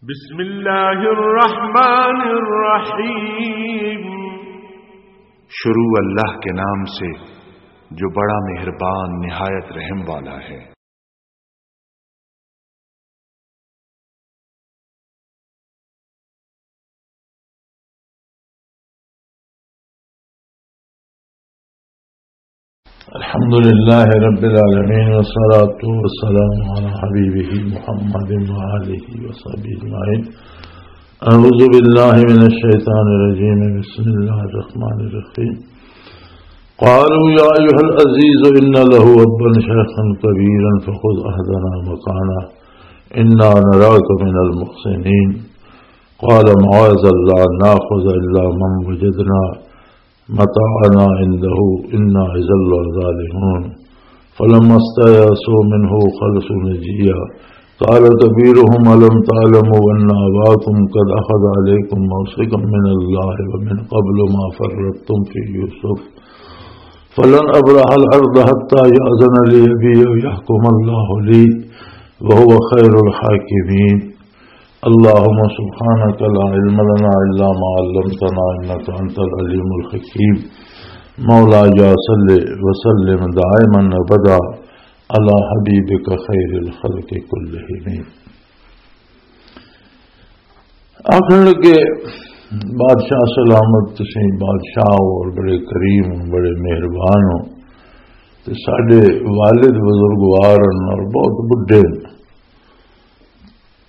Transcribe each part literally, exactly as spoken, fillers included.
بسم اللہ الرحمن الرحیم۔ شروع اللہ کے نام سے جو بڑا مہربان نہایت رحم والا ہے۔ الحمد لله رب العالمين، والصلاة والسلام على حبيبه محمد وآله وصحبه أجمعين. أعوذ بالله من الشيطان الرجيم. بسم الله الرحمن الرحيم. قالوا يا أيها العزيز إن له أبا شيخا كبيرا فخذ أحدنا مكانه إنا نراك من المحسنين. قال معاذ الله أن نأخذ إلا من وجدنا متاعنا عنده إنا إذا لظالمون. فلما استيأسوا منه خلصوا نجيا. قال كبيرهم ألم تعلموا أن أباكم قد أخذ عليكم موثقا من الله ومن قبل ما فرطتم في يوسف فلن أبرح الأرض حتى يأذن لي أبي أو يحكم الله لي وهو خير الحاكمين. اللهم سبحانك لا علم لنا إلا ما علمتنا إنك أنت العليم الحكيم. مولاي صل وسلم دائما أبدا على حبيبك خير الخلق كلهم. آخر لگے، بادشاہ سلامت، تسی بادشاہ ہو اور بڑے کریم ہو، بڑے مہربان ہو، تے ساڈے والد بزرگوار ہن اور بہت بڈھے ہن۔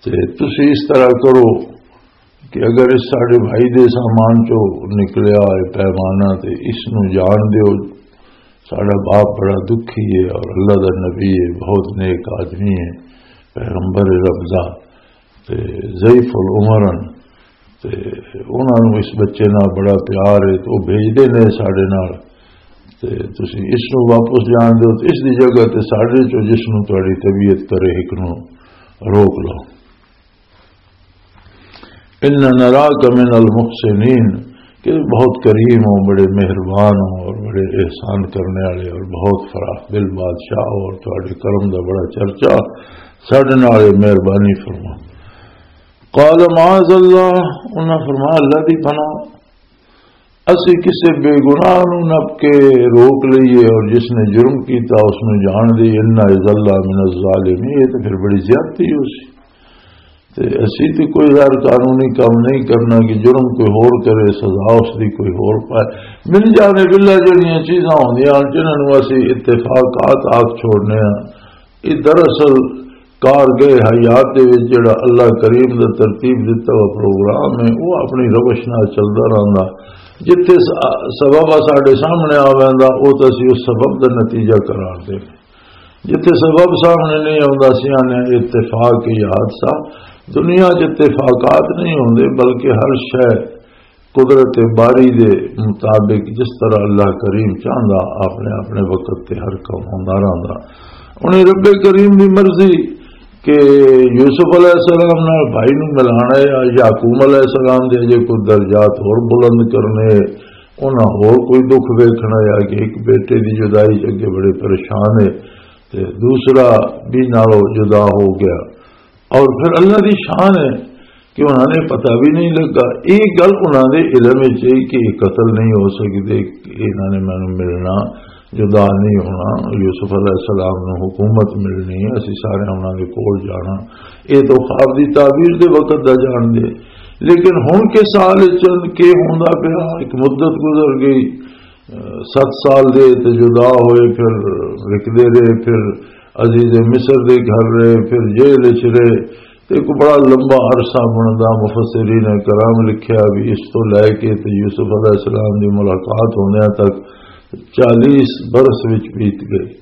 تے تسی اس طرح کرو کہ اگر اس ساڈے بھائی دے سامان چوں نکلیا ہوئے پیمانہ تے اس نو جان دیو، ساڈا باپ بڑا دکھی ہے اور اللہ دا نبی ہے، بہت نیک آدمی ہے، پیغمبر رب دا، تے ضعیف العمر ہن، تے انہاں نوں اس بچے نال بڑا پیار ہے، تے او بھیجدے نے ساڈے نال، تے تسی اس نوں واپس جان دیو، تے اس دی جگہ تے ساڈے چوں جس نوں تہاڈی طبیعت کرے، ایک نوں روک لو۔ ان نراک من المحسنین، کہ بہت کریم ہو، بڑے مہربان ہو اور بڑے احسان کرنے والے اور بہت فراخ دل بادشاہ ہو اور تہاڈے کرم دا بڑا چرچا، ساڈے نال اے مہربانی فرما۔ قال معاذ اللہ، انہاں فرمایا، اللہ دی پناہ، اسی کسے بے گناہ نوں نپ کے روک لئیے اور جس نے جرم کیتا اس نوں جان دے، انا اذا لمن الظالمین، یہ تے پھر بڑی زیادتی ہو سی۔ تے اسی تے کوئی غیر قانونی کام نہیں کرنا کہ جرم کوئی ہور کرے، سزا اس دی کوئی ہور پائے۔ من جانب اللہ جڑیاں چیزاں ہوندیاں ہن جنہاں نوں اسی اتفاقات آکھ چھوڑنے ہاں، یہ دراصل کارگاہ حیات دے وچ جڑا اللہ کریم دا ترتیب دتا ہوا پروگرام ہے، وہ اپنی روش نال چلدا رہندا۔ جتھے س-، سبب آ ساڈے سامنے آ ویندا، او تے اسی اس سبب دا نتیجہ قرار دے۔ جتھے سبب سامنے نہیں آوندا، اسی آنے اتفاق ہی حادثہ۔ دنیا چ اتفاقات نہیں ہوندے، بلکہ ہر شے قدرت باری دے مطابق جس طرح اللہ کریم چاہندا، اپنے اپنے وقت تے ہر کم ہوندا رہندا۔ انہیں رب کریم دی مرضی کہ یوسف علیہ السلام نال بھائی نوں ملانا ہے، یا یعقوب علیہ السلام دے اجے کوئی درجات ہور بلند کرنے، انہاں ہور کوئی دکھ ویکھنا، یا کہ ایک بیٹے دی جدائی چ اگے بڑے پریشان ہے تے دوسرا بھی نالوں جدا ہو گیا۔ اور پھر اللہ دی شان ہے کہ انہاں نے پتہ بھی نہیں لگا۔ ایک گل انہاں دے علم وچ ہے کہ یہ قتل نہیں ہو سکدے، انہاں نے مینوں ملنا، جدا نہیں ہونا، یوسف علیہ السلام نوں حکومت ملنی ہے، اسی سارے انہاں دے کول جانا۔ یہ تو خواب دی تعبیر دے وقت دا جان دے۔ لیکن ہن کے سال چند کے ہوندا پیا، ایک مدت گزر گئی، ست سال دے تے جدا ہوئے، پھر وکدے رہے، پھر عزیز مصر دے گھر رہے، پھر جیل وچ رہے۔ تے ایک بڑا لمبا عرصہ بندا، مفسرین کرام لکھیا بھی اس تو لے کے تے یوسف علیہ السلام دی ملاقات ہوندیاں تک چالیس برس وچ بیت گئے۔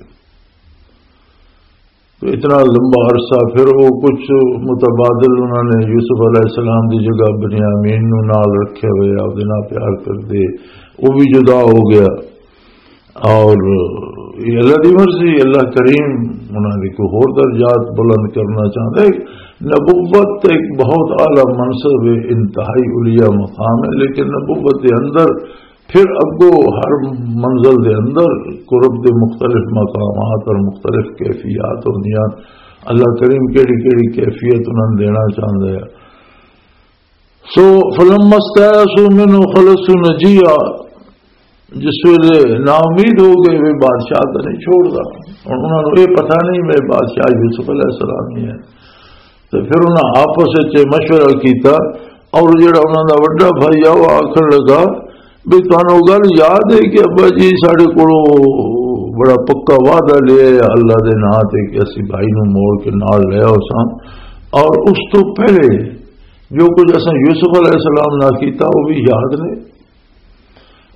تو اتنا لمبا عرصہ، پھر وہ کچھ متبادل انہوں نے یوسف علیہ السلام دی جگہ بنیامین نو نال رکھے ہوئے، آپ دے نال پیار کردے، وہ بھی جدا ہو گیا۔ اور یہ اللہ دی مرضی، اللہ کریم انہوں نے کوئی ہور درجات بلند کرنا چاہتا ہے۔ نبوت ایک بہت اعلیٰ منصب ہے، انتہائی علیا مقام ہے، لیکن نبوت کے اندر پھر اگوں ہر منزل دے اندر قرب دے مختلف مقامات اور مختلف کیفیات ہوندیاں۔ اللہ کریم کیڑی کیڑی کیفیت انہاں نوں دینا چاہندا ہے۔ سو فلما استيأسوا منه خلصوا نجيا، جس ویلے نا امید ہو گئے، وہ بادشاہ تو نہیں چھوڑدا۔ ہن انہاں نوں یہ پتہ نہیں، میں بادشاہ یوسف علیہ السلام ہی ہے۔ تو پھر انہاں آپس وچ مشورہ کیتا، اور جڑا انہاں دا وڈا بھائی آ، وہ آکھن لگا بھی تانوں گل یاد ہے کہ ابا جی ساڈے کولوں بڑا پکا وعدہ لیا ہے اللہ دے ناں تے کہ اسی بھائی نوں موڑ کے نال لے آؤساں، اور اس تو پہلے جو کچھ اساں یوسف علیہ السلام نال کیتا، وہ بھی یاد نے۔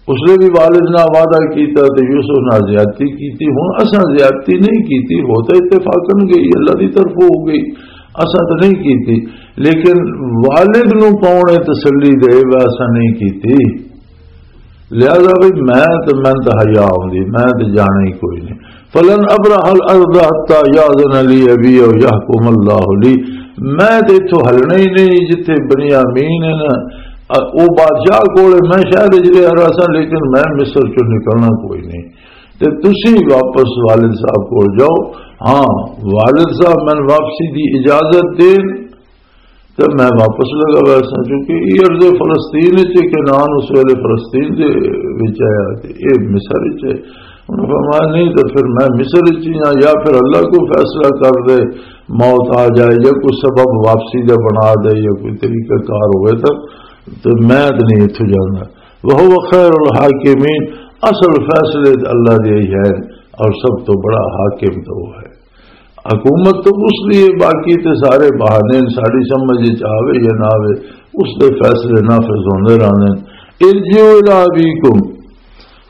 اس نے بھی والد نال وعدہ کیتا تے یوسف نال زیادتی کیتی۔ ہن اساں زیادتی نہیں کیتی، ہو تو اتفاقاً گئی، اللہ دی طرف ہو گئی، اساں تو نہیں کیتی۔ لیکن والد نوں کون ہے تسلی دے، وہ اساں نہیں کیتی۔ لہذا بھی میں تے، میں تے حیا آوندی، میں تے جانا ہی کوئی نہیں۔ فلن ابرح الارض حتى يأذن لي ابي او يحكم الله لي۔ میں تے اتھوں ہلنا ہی نہیں جتھے بنیامین ہے نا، او بادشاہ کول ہے۔ میں شہر وچ رہیا رہساں، لیکن میں مصر چوں نکلنا کوئی نہیں۔ تے تسی واپس والد صاحب کول جاؤ۔ ہاں، والد صاحب میں واپسی دی اجازت دین تے میں واپس لگا ویسا، کیونکہ یہ ارض فلسطین وچ ہے، کنعان اس ویلے فلسطین دے وچ آیا تے یہ مصر وچ ہے۔ انہوں نے فرمایا، نہیں تو پھر میں مصر وچ ہی ہاں، یا پھر اللہ کو فیصلہ کر دے، موت آ جائے یا کوئی سبب واپسی دا بنا دے یا کوئی طریقہ کار ہوئے تو، تو میں تو نہیں اتھوں جانا۔ وَهُوَ خَيْرُ الْحَاكِمِينَ، اصل فیصلے تے اللہ دے ہی ہیں، اور سب تو بڑا حاکم تو وہ ہے۔ حکومت تو اس لیے، باقی تے سارے بہانے نے، ساڈی سمجھ وچ آوے یا نہ آوے، اس دے فیصلے نافذ ہوندے رہندے نے۔ ارجعوا الی ابیکم،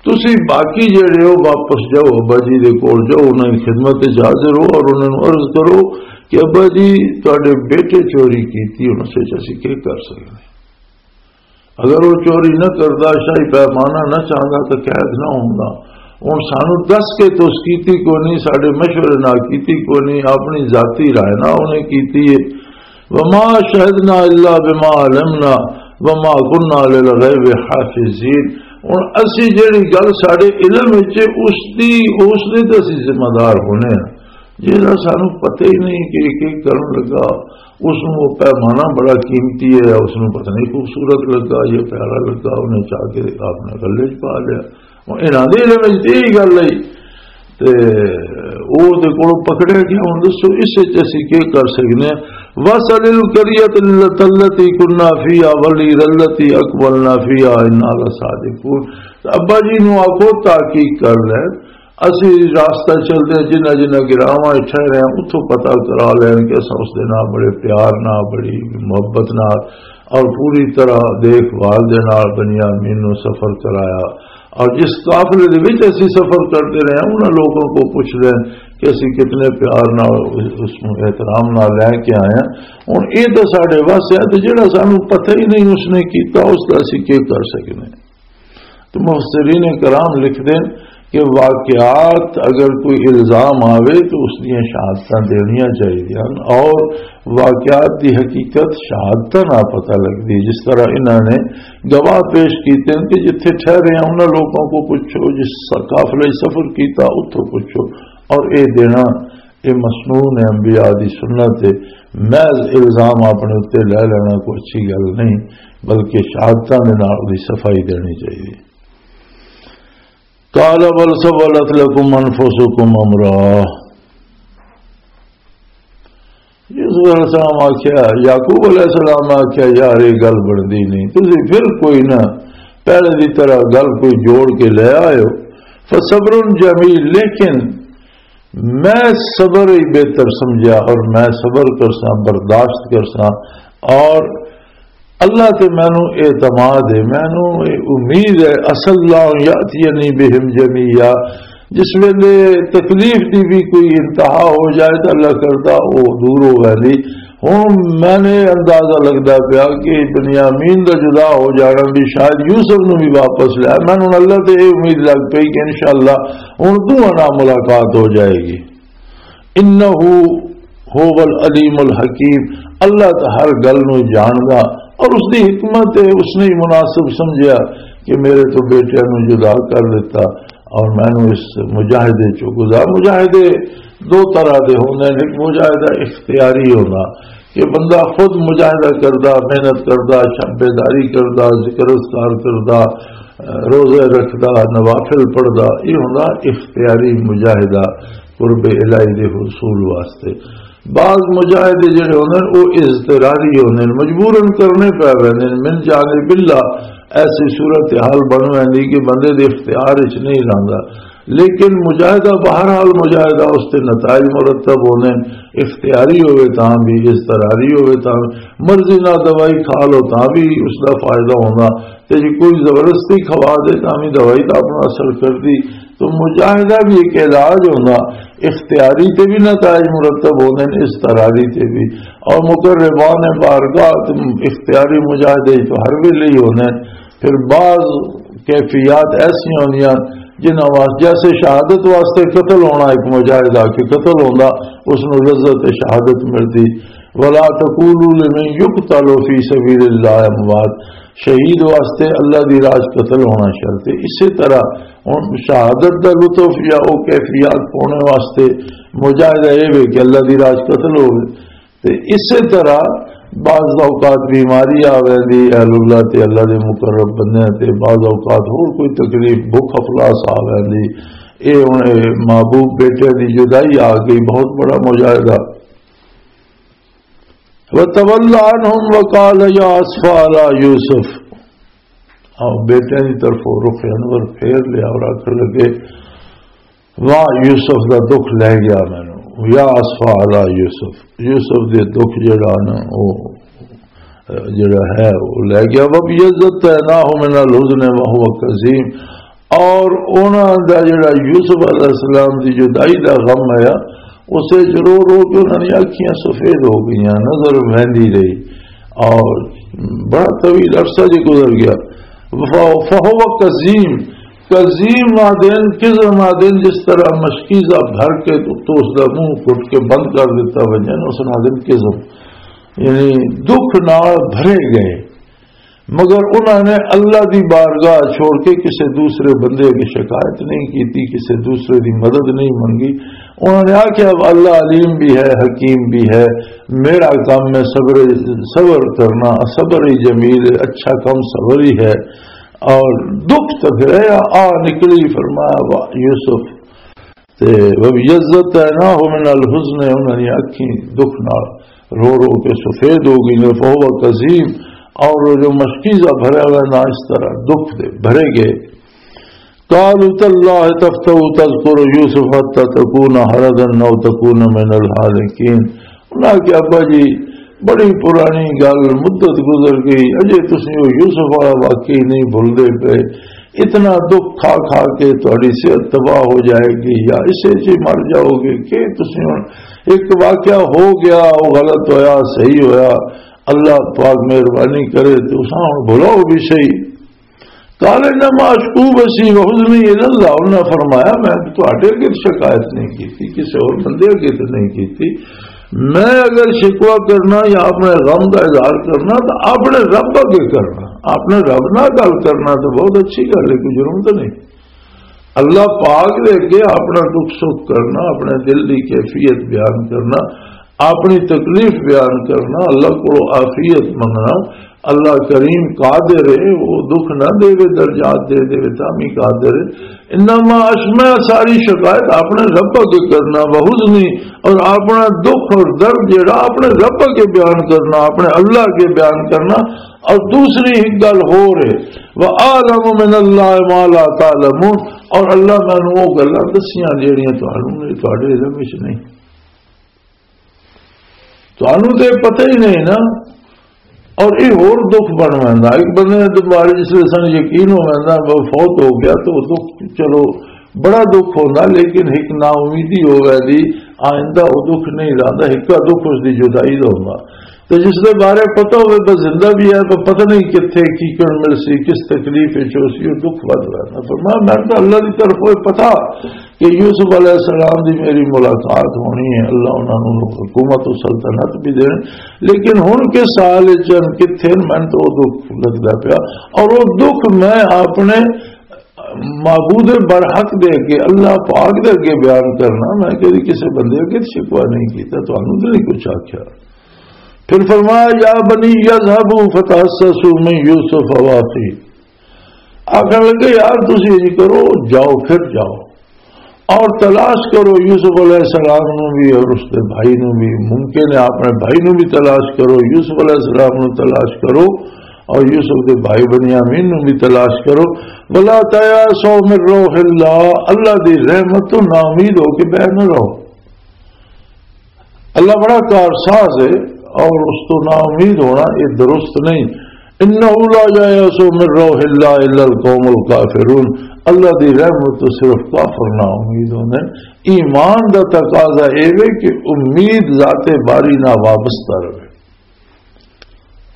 تسی باقی جڑے ہو واپس جاؤ، ابا جی دے کول جاؤ، انہاں دی خدمت وچ حاضر ہو اور انہاں نوں عرض کرو کہ ابا جی، تہاڈے بیٹے چوری کیتی، ہن اس وچ اسی کی کر سکدے؟ اگر وہ چوری نہ کردا، شاہی پیمانہ نہ چاہندا تو قید نہ ہوندا۔ ہن سانو دس کے تو اس کیتی کوئی نہیں، ساڈے مشورے نال کیتی کوئی نہیں، اپنی ذاتی رائے نال انہیں کیتی ہے۔ وما شهدنا الا بما علمنا وما كنا للغيب حافظين۔ ہن اسی جڑی گل ساڈے علم وچ ہے، اس دی، اس دے تے اسی ذمہ دار ہونے ہاں۔ جیڑا سانو پتہ ہی نہیں کہ ایک ایک کرن لگا، اس نوں وہ پیمانہ بڑا قیمتی ہے، اس نوں پتہ نہیں خوبصورت لگا یا پیارا لگا، انہیں چاہ کے اپنے گلے چ پا لیا۔ ہن انہاں دے علم وچ تے یہی گل آئی تے او دے کولوں پکڑیا گیا۔ ہن دسو، اس وچ اسی کی کر سکنے ہیں؟ وَاسْأَلِ الْقَرْيَةَ الَّتِي كُنَّا فِيهَا وَالْعِيرَ الَّتِي أَقْبَلْنَا فِيهَا إِنَّا لَصَادِقُونَ۔ تے ابا جی نوں آکھو تحقیق کر لے، اسی راستہ چلدے ہیں، جنہاں جنہاں گراواں وچ ٹھہرے ہیں، اتھوں پتہ کرا لین کہ اساں اس دے نال بڑے پیار نال، بڑی محبت نال اور پوری طرح دیکھ بھال دے نال بنیامین نوں سفر کرایا۔ اور جس قافلے دے وچ اسی سفر کرتے رہے ہیں، انہاں لوگوں کو پوچھ لین کہ اسی کتنے پیار نال اس نوں احترام نال لے کے آئے ہیں۔ ہن اے تاں ساڈے وس ہے، تے جڑا سانوں پتہ ہی نہیں اس نے کیتا، اس دا اسی کی کر سکنے ہیں؟ تو مفسرین کرام لکھ دیں کہ واقعات اگر کوئی الزام آوے تو اس دیاں شہادتاں دینیاں چاہیدیاں، اور واقعات دی حقیقت شہادتاں نال پتہ لگدی۔ جس طرح انہاں نے گواہ پیش کیتے ہیں کہ جتھے ٹھہرے ہیں انہاں لوگوں کو پوچھو، جس قافلے سفر کیتا اتھوں پوچھو، اور اے دینا، اے مسنون ہے، انبیاء دی سنت ہے۔ محض الزام اپنے اُتے لے لینا کوئی اچھی گل نہیں، بلکہ شہادتاں دے نال اُدی صفائی دینی چاہیے۔ قال بل سولت لكم انفسكم امرا۔ یوسف علیہ السلام آکھیا، یعقوب علیہ السلام آکھیا، یار، یہ گل بندی نہیں، تسی پھر کوئی نہ پہلے دی طرح گل کوئی جوڑ کے لے آئے ہو۔ فصبر جمیل، لیکن میں صبر ہی بہتر سمجھا اور میں صبر کرساں، برداشت کرساں، اور اللہ تے مینوں اعتماد ہے، مینوں یہ امید ہے، عسى الله أن يأتيني بهم جميعا، جس ویلے تکلیف دی بھی کوئی انتہا ہو جائے تو اللہ کردا وہ دور ہو ویندی۔ ہن میں نے اندازہ لگدا پیا کہ بنیامین دا جدا ہو جانا بھی شاید یوسف نو بھی واپس لیا۔ میں ہن اللہ تے یہ امید لگ پئی کہ انشاءاللہ ہن دوواں نال ملاقات ہو جائے گی۔ انہ هو العلیم الحکیم، اللہ تو ہر گل نو جاندا اور اس دی حکمت ہے، اس نے ہی مناسب سمجھیا کہ میرے تو بیٹے نو جدا کر دیتا اور میں نو اس مجاہدے چو گزار۔ مجاہدے دو طرح دے ہوندے نے، ایک مجاہدہ اختیاری ہونا کہ بندہ خود مجاہدہ کردا، محنت کردا، شب بیداری کردا، ذکر اذکار کردا، روزے رکھدا، نوافل پڑھدا، یہ ہوندا اختیاری مجاہدہ قرب الہی دے حصول واسطے۔ بعض مجاہدے جڑے ہوندے نے، وہ اضطراری ہوندے نے، مجبوراً کرنے پے ویندے نے، من جانب اللہ۔ ایسی صورتحال بن ویندی کہ بندے دے اختیار وچ نہیں رہندا، لیکن مجاہدہ بہرحال مجاہدہ، اس تے نتائج مرتب ہوندے نے، اختیاری ہوئے تاں بھی، اضطراری ہوئے تاں بھی، مرضی نال دوائی کھا لو تاں بھی اس دا فائدہ ہوندا، تے جے کوئی زبردستی کھوا دے تاں بھی دوائی دا اپنا اثر کردی۔ تو مجاہدہ بھی ایک علاج ہوندا، اختیاری تے بھی نتائج مرتب ہوندے نے، اضطراری تے بھی۔ اور مقربان بارگاہ تے اختیاری مجاہدے تو ہر ویلے ہی ہوندے نے۔ پھر بعض کیفیات ایسی ہوندیاں جنہاں واسطے، جیسے شہادت واسطے قتل ہونا ایک مجاہدہ کہ قتل ہوندا، اس نوں لذت شہادت ملدی۔ ولا تقولوا لمن يقتل في سبيل الله اموات، شہید واسطے اللہ دی راہ 'چ قتل ہونا شرط ہے۔ اسی طرح ہن شہادت دا لطف یا او کیفیات پانے واسطے مجاہدہ اے وے کہ اللہ دی راہ 'چ قتل ہوے۔ تے اسی طرح بعض اوقات بیماری آ ویندی، اہل اللہ تے اللہ دے مقرب بندیاں تے بعض اوقات ہور کوئی تکلیف، بھوک افلاس آ ویندی۔ اے ہن اے محبوب بیٹے دی جدائی آ گئی، بہت بڑا مجاہدہ۔ وَتَوَلَّ عَنْهُمْ وَقَالَ يَا أَسَفَىٰ عَلَىٰ يُوسُف۔ اور بیٹے دی طرف رخ انور پھیر لیا اور آخر لگے، واہ، یوسف دا دکھ لے گیا مینوں، یا اسفا علی یوسف، یوسف دے دکھ جڑا نا، او جڑا ہے، او لے گیا۔ وَابْتَيَّسْنَاهُ مِنَ الْحُزْنِ وَهُوَ كَظِيمٌ، اور انہاں دا جڑا یوسف علیہ السلام دی جدائی دا غم آیا، اسے چ رو رو کے انہاں دی اکھیاں سفید ہو گئیاں، نظر وہندی رہی، اور بڑا طویل عرصہ جی گزر گیا۔ فَ-، فَهُوَ كَظِيمٌ، کظیم آدن، کزم آدن، جس طرح مشکیزہ بھر کے تو، تو اس دا منہ گھٹ کے بند کر دیتا ونجے نا، اس نال آدن کزم، یعنی دکھ نال بھرے گئے۔ مگر انہاں نے اللہ دی بارگاہ چھوڑ کے کسے دوسرے بندے کی شکایت نہیں کیتی، کسے دوسرے دی مدد نہیں منگی۔ انہاں نے آکھیا، "اب اللہ علیم بھی ہے، حکیم بھی ہے، میرا کام ہے صبر، صبر کرنا، صبر ہی جمیل ہے، اچھا کام صبر ہی ہے۔" اور دکھ تو پھر ہے، آ نکلی، فرمایا، واہ یوسف، تے وَابْتَيَّسْنَاهُ مِنَ الْحُزْنِ، انہاں دی اکھیں دکھ نال رو رو کے سفید ہو گئی نے، فَهُوَ كَظِيمٌ، اور وہ جو مشکیزہ بھرا ہوا نا، اس طرح دکھ دے بھرے گئے۔ قَالُوا تَاللَّهِ تَفْتَأُ تَذْكُرُ يُوسُفَ حَتَّىٰ تَكُونَ حَرَضًا أَوْ تَكُونَ مِنَ الْهَالِكِينَ۔ انہاں کہ ابا جی، بڑی پرانی گل، مدت گزر گئی، اجے تسی وہ یوسف والا واقعی نہیں بھولدے پے۔ اتنا دکھ کھا کھا کے تہاڈی صحت تباہ ہو جائے گی، یا اسے چ ہی مر جاؤ گے کہ تسی ہن، ایک واقعہ ہو گیا، وہ غلط ہویا، صحیح ہویا، اللہ پاک مہربانی کرے تے اساں ہن بھلاؤ بھی صحیح۔ قال انما اشکو بثی وحزنی الی اللہ، انہاں فرمایا، میں تہاڈے اگے شکایت نہیں کیتی، کسی اور بندے اگے تے نہیں کیتی۔ میں اگر شکوہ کرنا یا اپنے غم دا اظہار کرنا تو اپنے رب اگے کرنا، اپنے رب نال گل کرنا تو بہت اچھی گل ہے، کوئی جرم تو نہیں۔ اللہ پاک دے اگے اپنا دکھ سکھ کرنا، اپنے دل دی کیفیت بیان کرنا، اپنی تکلیف بیان کرنا، اللہ کو عافیت منگنا۔ اللہ کریم قادر ہے، وہ دکھ نہ دے، درجات دے دے، تاں بھی قادر ہے۔ انما اشکو، میں ساری شکایت اپنے رب اگے کرنا، وحزنی، اور اپنا دکھ اور درد جڑا اپنے رب اگے بیان کرنا، اپنے اللہ اگے بیان کرنا۔ اور دوسری ایک گل ہور ہے، وَأَعْلَمُ مِنَ اللَّهِ مَا لَا تَعْلَمُونَ، اور اللہ مینوں وہ گلاں دسیاں جڑیاں تہانوں نہیں، تہاڈے علم وچ نہیں، تہانوں تے پتہ ہی نہیں نا۔ اور یہ ہور دکھ بن ویندا۔ ایک بندے نے تے بارے جس ویلے سن یقین ہو ویندا، وہ فوت ہو گیا، تو وہ دکھ، چلو، بڑا دکھ ہوندا، لیکن ایک نا امیدی ہو ویندی، آئندہ وہ دکھ نہیں رہندا، ایک دکھ اس دی جدائی دا ہوندا۔ تے جس دے بارے پتہ ہوئے بس زندہ بھی ہے، پر پتہ نہیں کتھے کی کر مل سی، کس تکلیف وچ ہو سی، وہ دکھ ود ویندا۔ فرمایا، میں تو اللہ دی طرف ہوئے پتہ کہ یوسف علیہ السلام دی میری ملاقات ہونی ہے، اللہ انہاں نوں حکومت و سلطنت بھی دین، لیکن ہن کس حال وچ ہن، کتھے ہن، مینوں تو او دکھ لگدا پیا۔ اور او دکھ میں اپنے معبود برحق دے اگے، اللہ پاک دے اگے بیان کرنا، میں کدی کسے بندے اگے شکوہ نہیں کیتا، تانوں تے نہیں کچھ آکھیا۔ پھر فرمایا، یا بنی یذهبوا فتحسسوا من یوسف و اخیہ۔ آخر لگے، یار، تسی یہ کرو، جاؤ، پھر جاؤ اور تلاش کرو یوسف علیہ السلام نو بھی اور اس دے بھائی نو بھی۔ ممکن ہے اپنے بھائی نو بھی تلاش کرو، یوسف علیہ السلام نو تلاش کرو اور یوسف دے بھائی بنیامین نو بھی تلاش کرو۔ ولا تیأسوا من روح اللہ، اللہ دی رحمت تو نا امید ہو کے بہ نہ رہو۔ اللہ بڑا کارساز ہے، اور اس تو نا امید ہونا یہ درست نہیں۔ انہ لا ییأس من روح اللہ الا القوم الکافرون۔ اللہ دی رحمت تو صرف کافر نا امید ہوندے۔ ایمان دا تقاضا اے وے کہ امید ذات باری نہ وابستہ رہے۔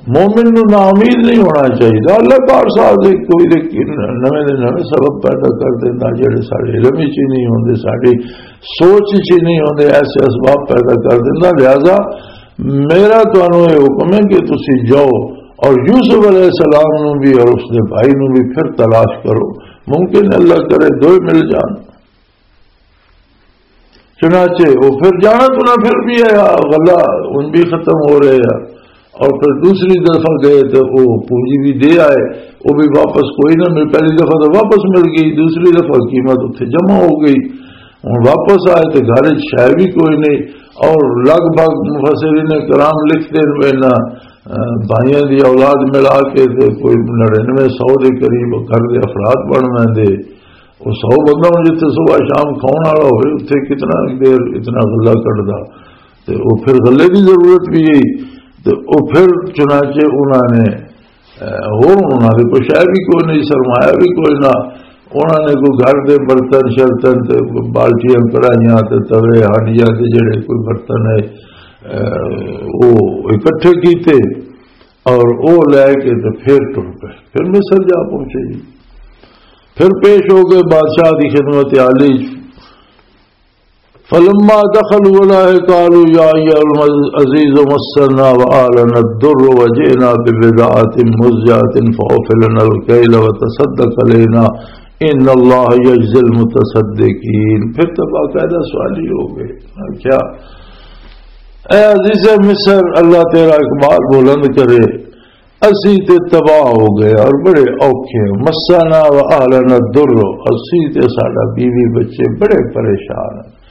مومن نو نا امید نہیں ہونا چاہیے۔ اللہ پاک صاحب دے کوئی دے نویں دے نویں سبب پیدا کر دینا، جڑے سارے علم وچ ہی نہیں ہوندے، ساری سوچ وچ ہی نہیں ہوندے، ایسے اسباب پیدا کر دینا۔ لہذا میرا تانوں یہ حکم ہے کہ تسی جاؤ اور یوسف علیہ السلام نو بھی اور اس دے بھائی نو بھی پھر تلاش کرو۔ ممکن ہے اللہ کرے دوئے مل جان۔ چنانچہ وہ پھر جانا تو نہ پھر بھی آیا، غلہ ان بھی ختم ہو رہے ہیں۔ اور پھر دوسری دفعہ گئے تو وہ پونجی بھی دے آئے، وہ بھی واپس کوئی نہ مل، پہلی دفعہ تو واپس مل گئی، دوسری دفعہ قیمت اتھے جمع ہو گئی۔ ہن واپس آئے تو گھر وچ شے بھی کوئی نہیں۔ اور لگ بھگ مفسرین کرام لکھتے ہیں، انہاں، اہ، بھائیاں دی اولاد ملا کے تے کوئی نڑینوے سو دے قریب گھر دے افراد بن ویندے۔ وہ سو بندہ ہن جتھے صبح شام کھاؤن والا ہوئے، اتھے کتنا دیر اتنا غلہ کڈدا؟ تے وہ پھر غلے دی ضرورت بھی ہے۔ تے وہ پھر چنانچہ انہاں نے، اہ، ہور انہاں دے کوئی شے بھی کوئی نہیں، سرمایہ بھی کوئی نہ۔ انہاں نے کوئی گھر دے برتن شرتن تے کوئی بالٹیاں، کڑاہیاں تے توے، ہانڈیاں تے جڑے کوئی برتن ہے، اہ، وہ اکٹھے کیتے اور وہ لے کے تے پھر ٹر پے، پھر مصر جا پہنچے جی۔ پھر پیش ہو گئے بادشاہ دی خدمت عالی۔ فلما دخلوا عليه قالوا يا أيها العزيز مسنا وأهلنا الضر وجئنا ببضاعة مزجاة فأوف لنا الكيل وتصدق علينا إن الله يجزي المتصدقين۔ پھر تو باقاعدہ سوالی ہو گئے۔ کیا؟ اے عزیز مصر، اللہ تیرا اقبال بلند کرے۔ اسی تے تباہ ہو گئے اور بڑے اوکھے ہیں۔ مسنا و اہلنا الضر، اسی تے ساڈا بیوی بچے بڑے پریشان ہیں۔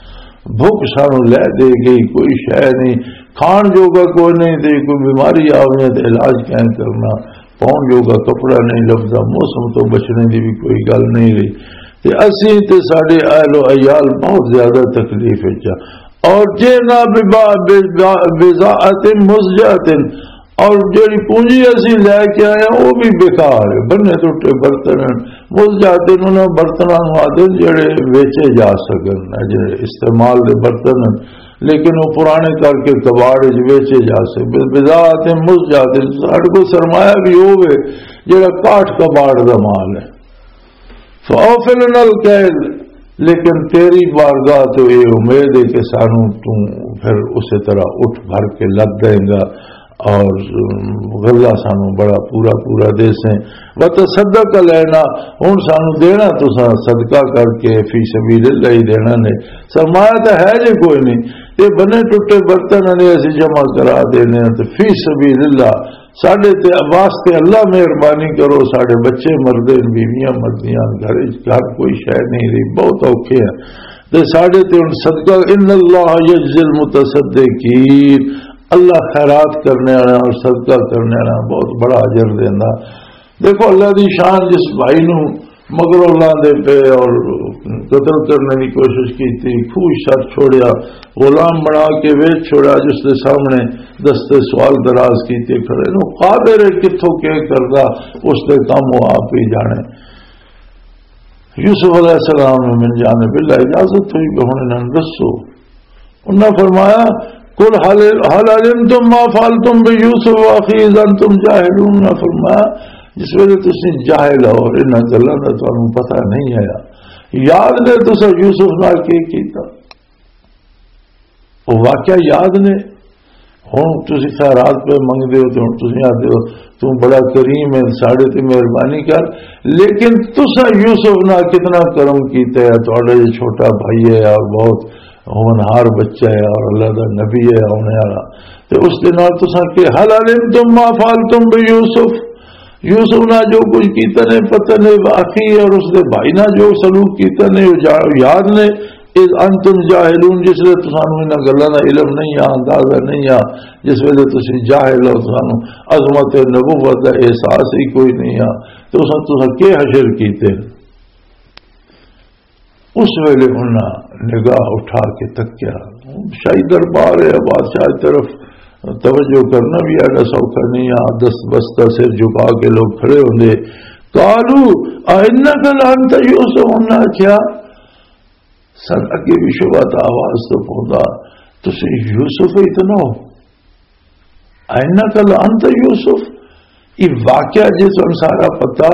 بھوک سانو لے دے گئی، کوئی شے نہیں، کھان جوگا کوئی نہیں، تے کوئی بیماری آوے تے علاج کہیں کرنا، پاؤن جوگا کپڑا نہیں لبدا، موسم تو بچنے دی بھی کوئی گل نہیں رہی۔ تے اسی تے ساڈے اہل و عیال بہت زیادہ تکلیف وچ آ۔ اور جے نہ ببا-، ببا-، بضاعت مزجاة، اور جڑی پونجی اسی لے کے آئے ہیں، وہ بھی بیکار ہے، بنے ٹوٹے برتن ہیں۔ مزجاة انہاں برتناں نوں آدھے جڑے ویچے جا سکن، جڑے استعمال دے برتن ہیں، لیکن وہ پرانے کر کے کباڑ وچ ویچے جا سکن۔ بضاعت مزجاة، ساڈے کول سرمایہ بھی ہووے جڑا کاٹ کباڑ دا مال ہے۔ فَأَوْفِ لَنَا الْكَيْلَ، لیکن تیری بارگاہ تو یہ امید ہے کہ سانو تو پھر اسی طرح اٹھ بھر کے لد دیں گا اور غلہ سانو بڑا پورا پورا دے سیں۔ وَتَصَدَّقْ عَلَيْنَا، ہن سانو دینا تساں صدقہ کر کے، فی سبیل اللہ ہی دینا نے، سرمایہ تو ہے جے کوئی نہیں، تے بنے ٹوٹے برتن نے اسی جمع کرا دینے ہیں، تے فی سبیل اللہ ساڈے تے واسطے اللہ مہربانی کرو، ساڈے بچے مردے نے، بیویاں مردیاں، گھر وچ گھر کوئی شے نہیں رہی، بہت اوکھے ہیں۔ تے ساڈے تے ہن صدقہ، ان اللہ یجزی المتصدقین، اللہ خیرات کرنے والا اور صدقہ کرنے والا بہت بڑا اجر دیندا۔ دیکھو اللہ دی شان، جس بھائی نو مگروں لاندے پے اور قتل کرنے کی کوشش کی تھی، کھوہ سر چھوڑیا، غلام بنا کے ویچ چھوڑیا، جس دے سامنے دستے سوال دراز کیتے کھڑے نو، قادر ہے کتھوں کے کردا، اس دے کم وہ آپ ہی جانے۔ یوسف علیہ السلام نے من جانب اللہ اجازت ہوئی کہ ہن انہاں نوں دسو۔ انہاں فرمایا، "قل هل، هل علمتم ما فعلتم بيوسف وأخيه إذ أنتم جاهلون۔" انہاں فرمایا، جس ویلے تسی جاہل ہو اور انہاں گلاں دا تانوں پتہ نہیں آیا، یاد نے تساں یوسف نال کی کیتا؟ وہ واقعہ یاد نے؟ ہن تسی خیرات پہ منگدے ہو تے ہن تسی آدھے ہو، "تو بڑا کریم ہے، ساڈے تے مہربانی کر۔" لیکن تساں یوسف نال کتنا کرم کیتا ہے، تہاڈا یہ چھوٹا بھائی ہے اور بہت ہونہار بچہ ہے اور اللہ دا نبی ہے آنے والا۔ تے اس دے نال تساں کہ، "هل علمتم ما فعلتم بيوسف؟" یوسف نال جو کچھ کیتا نے، پتہ نے، "واقعی اور اس دے بھائی نال جو سلوک کیتا نے، وہ جا-، یاد نے، اذ انتم جاہلون"، جس ویلے تسانوں انہاں گلاں دا علم نہیں آ، اندازہ نہیں آ، جس ویلے تسی جاہل ہو، تسانوں عظمت نبوت دا احساس ہی کوئی نہیں آ، تے اس وقت تساں کی حشر کیتے؟ اس ویلے انہاں نگاہ اٹھا کے تکیا، شاہی دربار ہے، بادشاہ دی طرف توجہ کرنا بھی ایڈا سوکھا نہیں آ۔ دست بستہ سر جھکا کے لوگ کھڑے ہوندے۔ "قالوا أئنك لأنت يوسف؟" انہاں آکھیا، سن اگے بھی شبہ تھا، آواز تو پوندا، "تسی یوسف ہی تو نہ ہو؟ أئنك لأنت يوسف؟" یہ واقعہ جے تانوں سارا پتا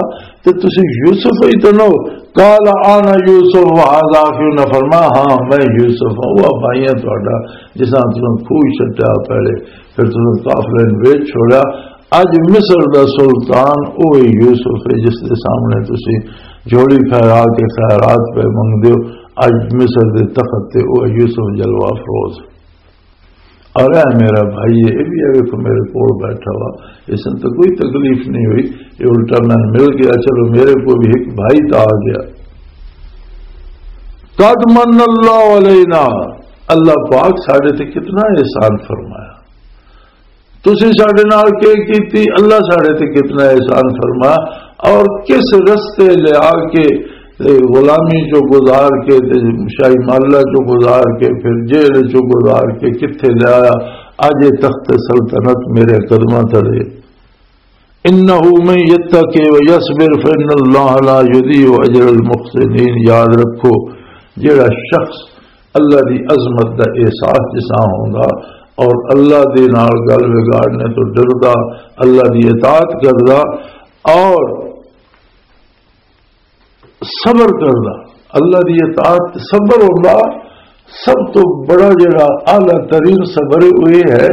تے تسی یوسف ہی تو نہ ہو۔ "قال أنا يوسف وهذا أخي"، انہاں فرمایا، "ہاں، میں یوسف ہاں، وہ بھائی ہاں تہاڈا، جس نال تساں کھوہ سٹیا پہلے، پھر تساں قافلے نوں ویچ چھوڑیا۔ اج مصر دا سلطان اوہی یوسف ہے جس دے سامنے تسی جھولی پھیلا کے خیرات پہ منگدے ہو۔ اج مصر دے تخت تے اوہی یوسف جلوہ افروز ہے۔" اور اے میرا بھائی ہے، یہ بھی ہے، ویکھو میرے کول بیٹھا ہوا، اس نے تو کوئی تکلیف نہیں ہوئی، یہ الٹا میں مل گیا، چلو میرے کو بھی ایک بھائی تو آ گیا۔ "قد من الله علينا"، اللہ پاک ساڈے تے کتنا احسان فرمایا۔ تسی ساڈے نال کی کیتی، اللہ ساڈے تے کتنا احسان فرمایا، اور کس رستے لے آ کے تے غلامی چوں گزار کے تے شاہی محلہ چوں گزار کے پھر جیل چوں گزار کے کتھے لے آیا؟ اج یہ تخت سلطنت میرے قدماں تلے۔ "انه من يتق ويصبر فان الله لا يضيع اجر المحسنين"۔ یاد رکھو، جیڑا شخص اللہ دی عظمت دا احساس جسا ہوندا اور اللہ دے نال گل وگاڑنے تو ڈردا، اللہ دی اطاعت کردا اور صبر کردا، اللہ دی اطاعت تے صبر ہوندا۔ سب تو بڑا جڑا اعلیٰ ترین صبر ہے، وہ یہ ہے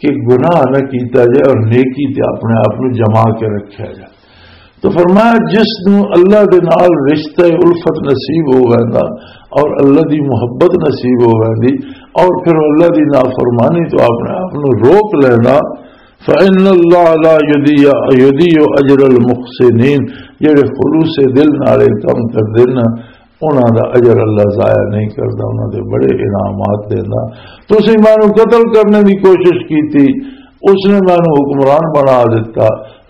کہ گناہ نہ کیتا جائے اور نیکی تے اپنے آپ نو جما کے رکھیا جائے۔ تو فرمایا، جس نو اللہ دے نال رشتہ الفت نصیب ہو ویندا اور اللہ دی محبت نصیب ہو ویندی اور پھر اللہ دی نافرمانی تو اپنے آپ نو روک لینا، فإن الله لا يضيع، يضيع أجر المحسنين، جڑے خلوص دل نال اے کم کردے نا، انہاں دا اجر اللہ ضائع نہیں کردا، انہاں دے بڑے انعامات دیندا۔ تسی مینوں قتل کرنے دی کوشش کیتی، اس نے مینوں حکمران بنا دتا،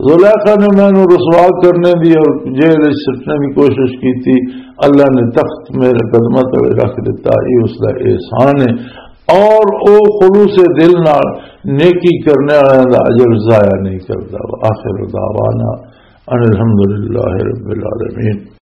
زلیخا نے مینوں رسوا کرنے دی اور جیل وچ سٹنے دی کوشش کیتی، اللہ نے تخت میرے قدماں تلے رکھ دتا، یہ اس دا احسان ہے۔ اور او خلوص دل نال نیکی کرنے والوں دا اجر ضائع نہیں کردا۔ وآخر دعوانا ان الحمدللہ رب العالمین۔